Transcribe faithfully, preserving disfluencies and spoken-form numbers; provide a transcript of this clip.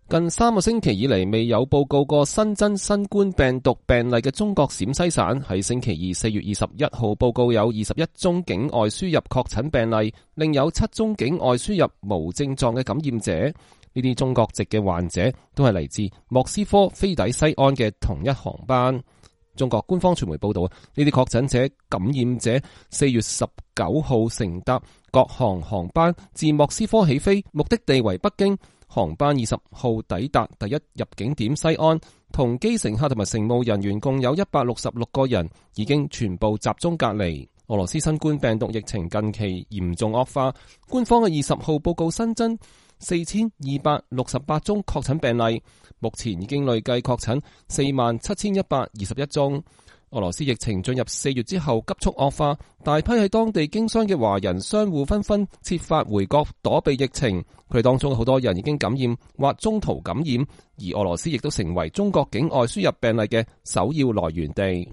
近三個星期以嚟未有報告過新增新冠病毒病例嘅中國陝西省喺星期二四月二十一號報告有二十一宗境外輸入確診病例，另有七宗境外輸入無症狀嘅感染者。呢啲中國籍嘅患者都係嚟自莫斯科飛抵西安嘅同一航班。中國官方傳媒報道，呢啲確診者感染者四月十九號乘搭國航航班自莫斯科起飛，目的地為北京。航班二十號抵達第一入境點西安，同機乘客同埋乘務人員共有一百六十六個人，已經全部集中隔離。俄羅斯新冠病毒疫情近期嚴重惡化，官方嘅二十號報告新增四千二百六十八宗確診病例，目前已經累計確診四萬七千一百二十一宗。俄羅斯疫情進入四月之後急速惡化，大批喺當地經商嘅華人商戶紛紛設法回國躲避疫情，佢哋當中好多人已經感染或中途感染，而俄羅斯亦都成為中國境外輸入病例嘅首要來源地。